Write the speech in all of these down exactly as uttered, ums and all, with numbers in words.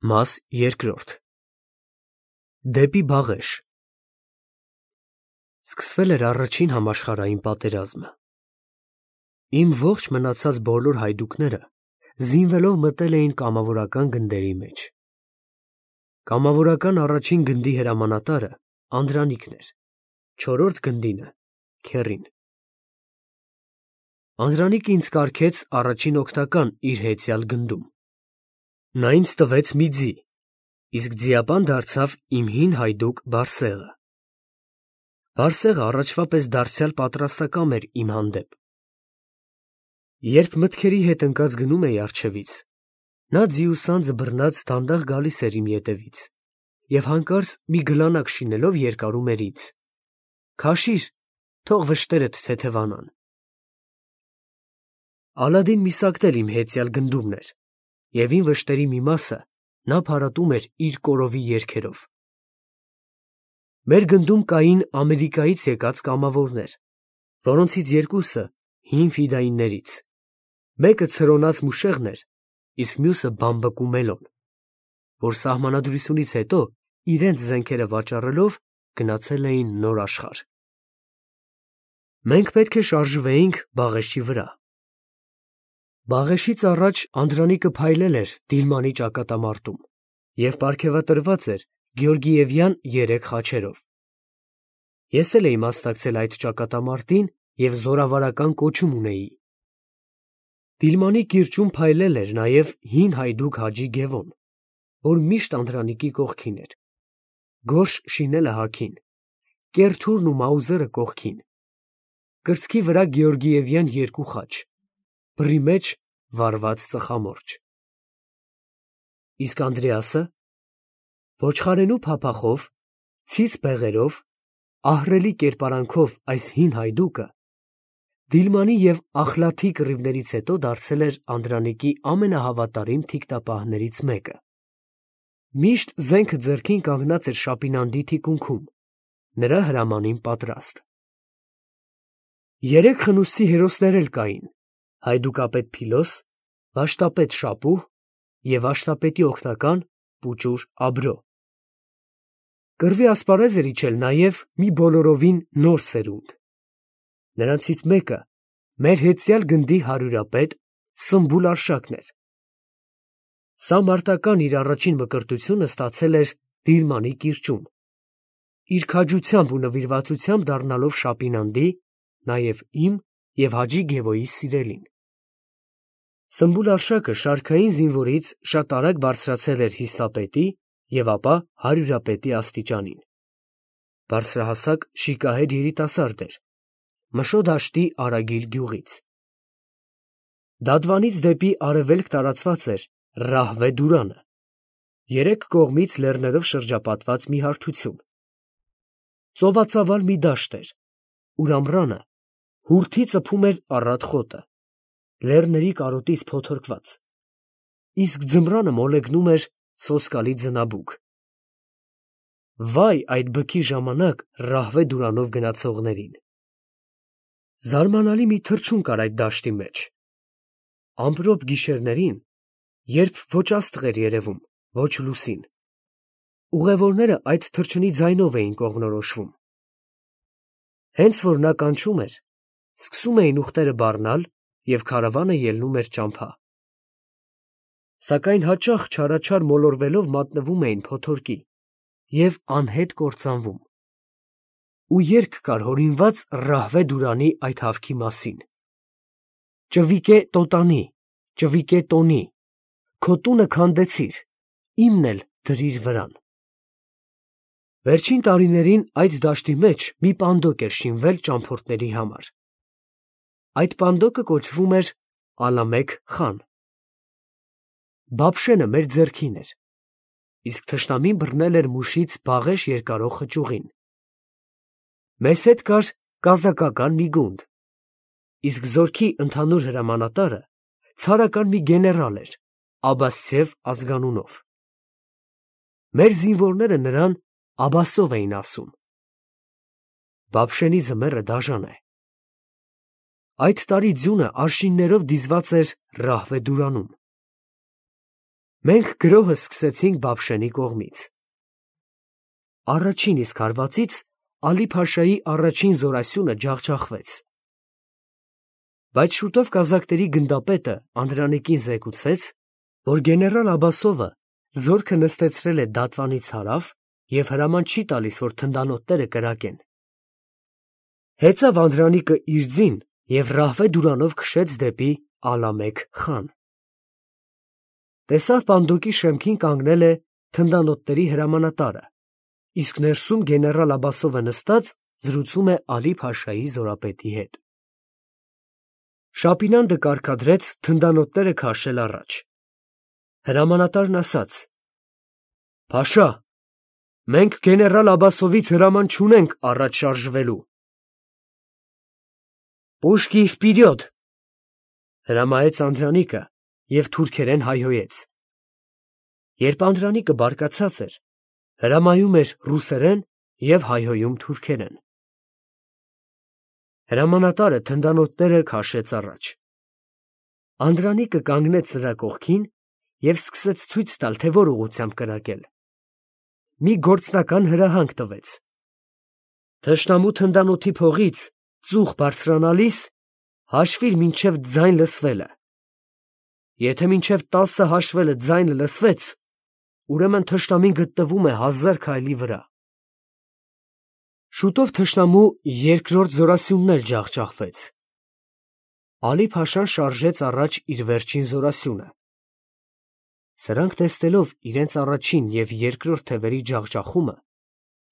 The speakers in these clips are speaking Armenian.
Մաս երկրորդ Դեպի Բաղեշ Սկսվել էր առաջին համաշխարհային պատերազմը։ Իմ ողջ մնացած բոլոր հայդուկները զինվելով մտել էին կամավորական գնդերի մեջ։ Կամավորական առաջին գնդի հրամանատարը Անդրանիկն էր, չորրորդ գնդինը Քեռին։ Անդրանիկը ինձ կարգեց առաջին օգնական իր հեծյալ գնդում։ Նա ինձ տվեց մի ձի, իսկ ձիապան դարձավ իմ հին հայդուկ Բարսեղը։ Բարսեղը առաջվա պես դարձյալ պատրաստակամ էր իմ հանդեպ։ Երբ մտքերի հետ ընկած գնում էի առջևից, նա ձիուսանձը բռնած դանդաղ գալիս էր իմ ետևից և հանկարծ մի գլանակ շինելով երկարում էր ինձ. «Քաշիր, թող վշտերդ թեթևանան»։ Ալադին Միսակն էլ իմ հեծյալ գնդումն էր, և իմ վշտերի մի մասը նա փարատում էր իր կորովի երգերով։ Մեր գնդում կային Ամերիկայից եկած կամավորներ, որոնցից երկուսը հին ֆիդայիններից, մեկը ցրոնած մուշեղն էր, իսկ մյուսը բամբկու Մելոն, որ սահմանադրությունից հետո իրենց զենքերը վաճառելով գնացել էին նոր աշխարհ։ Մենք պետք է շարժվեինք Բաղեշի վրա։ Բաղեշից առաջ Անդրանիկը փայլել էր Դիլմանի ճակատամարտում և պարգևատրված էր Գեորգիևյան երեք խաչերով։ Ես էլ էի մասնակցել այդ ճակատամարտին և զորավարական կոչում ունեի։ Դիլմանի կիրճում փայլել էր նաև հին հայդուկ Հաջի Գևոն, որ միշտ Անդրանիկի կողքին էր, Գորշ շինելը հագին, կեռ թուրն ու մաուզերը կողքին, կրծքի վրա Գեորգիևյան երկու խաչ, բռի մեջ վառված ծխամորճ։ Իսկ Անդրեասը ոչխարենու փափախով, ցից բեղերով, ահռելի կերպարանքով այս հին հայդուկը Դիլմանի և Ախլաթի կռիվներից հետո դարձել էր Անդրանիկի ամենահավատարիմ թիկնապահներից մեկը։ Միշտ զենքը ձեռքին կանգնած էր Շապինանդի թիկունքում, նրա հրամանին պատրաստ։ Երեք խնութսի հերոսներ էլ կային՝ հայդուկապետ Փիլոս, վաշտապետ Շապուհ և վաշտապետի օգնական պուճուր Աբրո։ Կռվի ասպարեզ էր իջել նաև մի բոլորովին նոր սերունդ։ Նրանցից մեկը մեր հեծյալ գնդի հարյուրապետ Սմբուլ Արշակն էր։ Սա մարտական իր առաջին մկրտությունը ստացել էր Դիլմանի կիրճում, իր քաջությամբ ու նվիրվածությամբ դառնալով Շապինանդի, նաև իմ և Հաջի Գևոյի սիրելին։ Սմբուլ Արշակը շարքային զինվորից շատ արագ բարձրացել էր հիստապետի և ապա հարյուրապետի աստիճանին։ Բարձրահասակ շիկահեր երիտասարդ էր, Մշո դաշտի Արագիլ գյուղից։ Դադվանից դեպի արևելք տարածված էր Ռահվե դուրանը, երեք կողմից լեռներով շրջապատված մի հարթություն։ Ծովածավալ մի դաշտ էր, ուր ամռանը հուրդի ծփում էր առատ խոտը, լեռների կարոտից փոթորկված, իսկ ձմռանը մոլեգնում էր սոսկալի ձնաբուք։ Վայ այդ բքի ժամանակ Ռահվե դուրանով գնացողներին։ Զարմանալի մի թռչուն կար այդ դաշտի մեջ։ Ամպրոպ գիշերներին, երբ ոչ աստղ էր երևում, ոչ լուսին, ուղևորները այդ թռչնի ձայնով էին կողմնորոշվում։ Հենց որ նա կանչում էր, սկսում էին ուղտերը բառնալ և քարավանը ելնում էր ճամփա։ Սակայն հաճախ չարաչար մոլորվելով մատնվում էին փոթորկի և անհետ կործանվում։ Ու երգ կար հորինված Ռահվե դուրանի այդ հավքի մասին. «Ճվիկե տոտանի, ճվիկե տոնի, քո տունը քանդեցիր, իմն էլ դրիր վրան»։ Վերջին տարիներին այդ դաշտի մեջ մի պանդոկ էր շինվել ճամփորդների համար։ Այդ պանդոկը կոչվում էր Ալամեկ խան։ Բաբշենը մեր ձեռքին էր, իսկ թշնամին բռնել էր մուշից Բաղեշ երկարող խճուղին։ Մեզ հետ կար կազակական մի գունդ, իսկ զորքի ընդհանուր հրամանատարը ցարական մի գեներալ էր Աբասցև ազգանունով։ Մեր զինվորները նրան Աբասով էին ասում։ Բաբշենի ձմեռը դաժան է։ Այդ տարի ձյունը արշիններով դիզված էր Ռահվե դուրանում։ Մենք գրոհը սկսեցինք Բաբշենի կողմից։ Առաջին իսկ հարվածից Ալի-Փաշայի առաջին զորասյունը ջախջախվեց։ Բայց շուտով կազակների գնդապետը Անդրանիկին զեկուցեց, որ գեներալ Աբասովը զորքը նստեցրել է Դատվանից հարավ և հրաման չի տալիս, որ թնդանոթները կրակեն։ Հեծավ Անդրանիկը իր ձին և Ռահվե դուրանով քշեց դեպի Ալամեկ խան։ Տեսավ պանդոկի շեմքին կանգնել է թնդանոթների հրամանատարը, իսկ ներսում գեներալ Աբասովը նստած զրուցում է Ալի-Փաշայի զորապետի հետ։ Շապինանդը կարգադրեց թնդանոթները քաշել առաջ։ Հրամանատարն ասաց. «Փաշա, մենք գեներալ Աբասովից հրաման չունենք առաջ շարժվելու»։ «Պուշկի վպիրյոդ», հրամայեց Անդրանիկը և թուրքերեն հայհոյեց։ Երբ Անդրանիկը բարկացած էր, հրամայում էր ռուսերեն և հայհոյում թուրքերեն։ Հրամանատարը թնդանոթները քաշեց առաջ։ Անդրանիկը կանգնեց նրա կողքին և սկսեց ցույց տալ, թե որ ուղղությամբ կրակել։ Մի գործնական հրահանգ տվեց. թշնամու թնդանոթի փողից ծուխ բարձրանալիս հաշվիր մինչև ձայն լսվելը։ Եթե մինչև տասը հաշվելը ձայնը լսվեց, ուրեմն թշնամին գտնվում է հազար քայլի վրա։ Շուտով թշնամու երկրորդ զորասյունն էլ ջախջախվեց։ Ալի-Փաշան շարժեց առաջ իր վերջին զորասյունը։ Սրանք տեսնելով իրենց առաջին և երկրորդ թևերի ջախջախումը,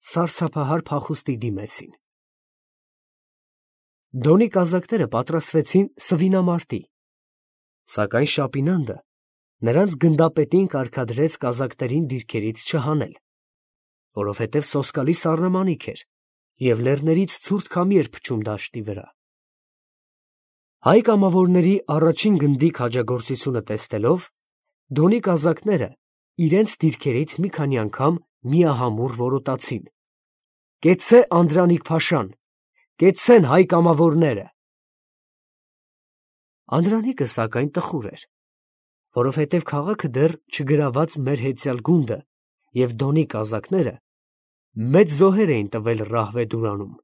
սարսափահար փախուստի դիմեցին։ Դոնի կազակները պատրաստվեցին սվինամարտի, սակայն Շապինանդը նրանց գնդապետին կարգադրեց կազակներին դիրքերից չհանել, որովհետև սոսկալի սառնամանիք էր և լեռներից ցուրտ քամի էր փչում դաշտի վրա։ Հայ կամավորների առաջին գնդի քաջագործությունը տեսնելով, Դոնի կազակները իրենց դիրքերից մի քանի անգամ միահամուռ որոտացին. «Կեցցե Անդրանիկ֊փաշան, կեցցեն հայ կամավորները»։ Անդրանիկը սակայն տխուր էր, որովհետև քաղաքը դեռ չգրաված մեր հեծյալ գունդը և Դոնի կազակները մեծ զոհեր էին տվել Ռահվե դուրանում,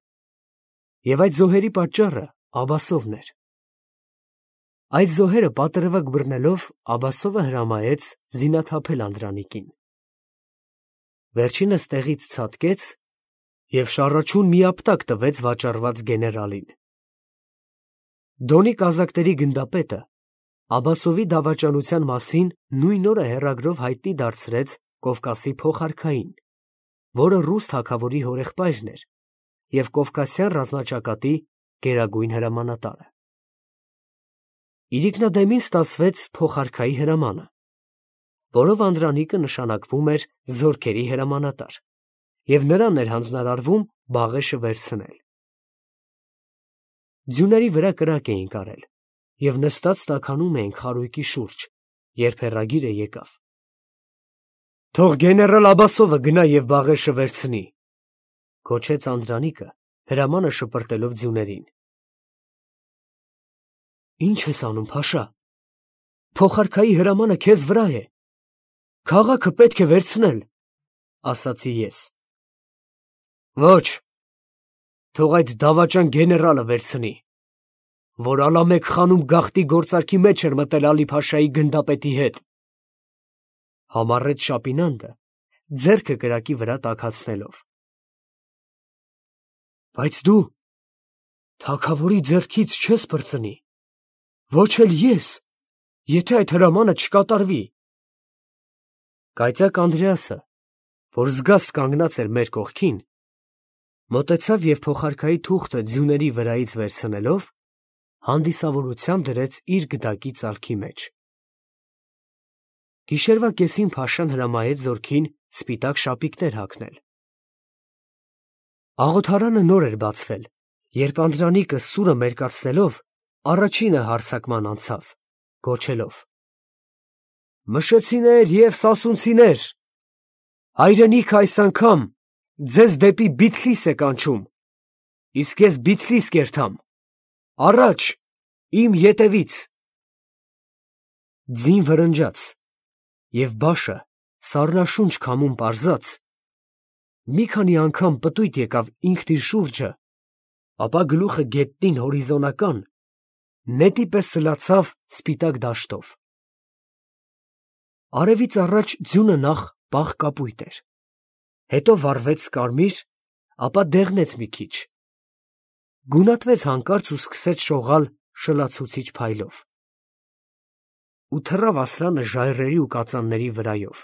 և այդ զոհերի պատճառը Աբասովն էր։ Այդ զոհերը պատրվակ բռնելով Աբասովը հրամայեց զինաթափել Անդրանիկին։ Վերջինս տեղից ցատկեց և շառաչուն միապտակ տվեց վաճառված գեներալին։ Դոնի կազակների գնդապետը Աբասովի դավաճանության մասին նույն օրը հեռագրով հայտնի դարձրեց Կովկասի փոխարքային, որը ռուս թագավորի հորեղբայրն էր և կովկասյան ռազմաճակատի գերագույն հրամանատարը։ Իրիկնադեմին ստացվեց փոխարքայի հրամանը, որով Անդրանիկը նշանակվում էր զորքերի հրամանատար, և նրան էր հանձնարարվում Բաղեշը վերցնել։ Ձյուների վրա կրակ էին կարել և նստած տաքանում էին խարույկի շուրջ, երբ հեռագիրը եկավ։ «Թող գեներալ Աբասովը գնա և Բաղեշը վերցնի», գոչեց Անդրանիկը, հրամանը շպրտելով ձյուներին։ «Ի՞նչ ես անում, Փաշա, փոխարքայի հրամանը քեզ վրա է, քաղաքը պետք է վերցնել», ասացի ես։ «Ոչ, թող այդ դավաճան գեներալը վերցնի, որ Ալամեկ խանում գաղտնի գործարքի մեջ էր մտել Ալի-Փաշայի գնդապետի հետ», համառեց Շապինանդը, ձեռքը կրակի վրա տաքացնելով։ «Բայց դու թագավորի ձեռքից չես պրծնի, ոչ էլ ես, եթե այդ հրամանը չկատարվի»։ Կայծակ Անդրեասը, որ զգաստ կանգնած էր մեր կողքին, մոտեցավ և փոխարքայի թուղթը ձյուների վրայից վերցնելով, հանդիսավորությամբ դրեց իր գդակի ծալքի մեջ։ Գիշերվա կեսին Փաշան հրամայեց զորքին սպիտակ շապիկներ հագնել։ Աղոթարանը նոր էր բացվել, երբ Անդրանիկը սուրը մերկացնելով առաջինը հարձակման անցավ, գոչելով. «Մշեցիներ և սասունցիներ, հայրենիքը այս անգամ ձեզ դեպի Բիթլիս է կանչում, իսկ ես Բիթլիս կերտամ, առաջ, իմ ետևից»։ Ձին վրնջաց, և բաշը սառնաշունչ քամում պարզած, մի քանի անգամ պտույտ եկավ ինքն իր շուրջը, ապա գլուխը գետնին հորիզոնական, նետի պես սլացավ սպիտակ դաշտով. արևից առաջ ձյունը նախ պաղ կապույտ էր, հետո վառվեց կարմիր, ապա դեղնեց մի քիչ, գունատվեց հանկարծ ու սկսեց շողալ շլացուցիչ փայլով, ու թռավ Ասլանը ժայռերի ու կածանների վրայով,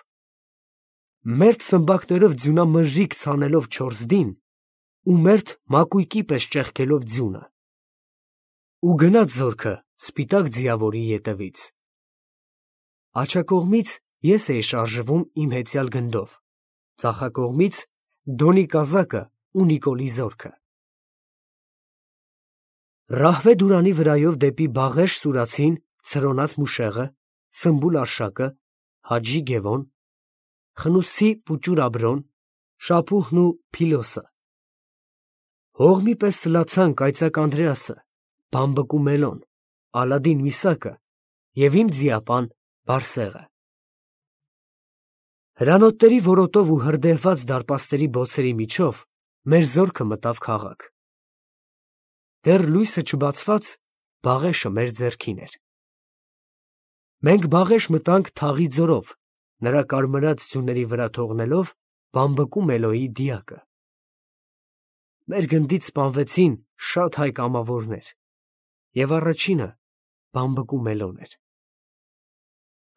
մերթ սմբակներով ձյունամրրիկ ցանելով չորսդին ու մերթ մակույկի պես ճեղքելով ձյունը, ու գնաց զորքը սպիտակ ձիավորի ետևից. աջակողմից ես էի շարժվում իմ հեծյալ գնդով, ձախակողմից Դոնի կազակը ու Նիկոլի զորքը։ Ռահվե դուրանի վրայով դեպի Բաղեշ սուրացին Ցրոնած Մուշեղը, Սմբուլ Արշակը, Հաջի Գևոն, Խնուսցի Պուճուր Աբրոն, Շապուհն ու Փիլոսը։ Հողմի պես սլացան Կայծակ Անդրեասը, Բամբկու Մելոն, Ալադին Միսակը և իմ ձիապան Բարսեղը։ Հրանոթների որոտով ու հրդեհված դարպասների բոցերի միջով մեր զորքը մտավ քաղաք։ Դեռ լույսը չբացված Բաղեշը մեր ձեռքին էր։ Մենք Բաղեշ մտանք թաղի ձորով, նրա կարմրած ձյուների վրա թողնելով Բամբկու Մելոյի դիակը։ Մեր գնդից սպանվեցին շատ հայ կամավորներ, և առաջինը Բամբկու Մելոն էր։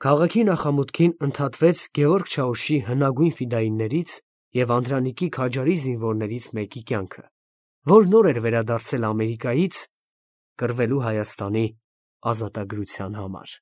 Քաղաքի նախամուտքին ընդհատվեց Գևորգ Չաուշի հնագույն ֆիդայիններից և Անդրանիկի քաջարի զինվորներից մեկի կյանքը, որ նոր էր վերադարձել Ամերիկայից կռվելու Հայաստանի ազատագրության համար։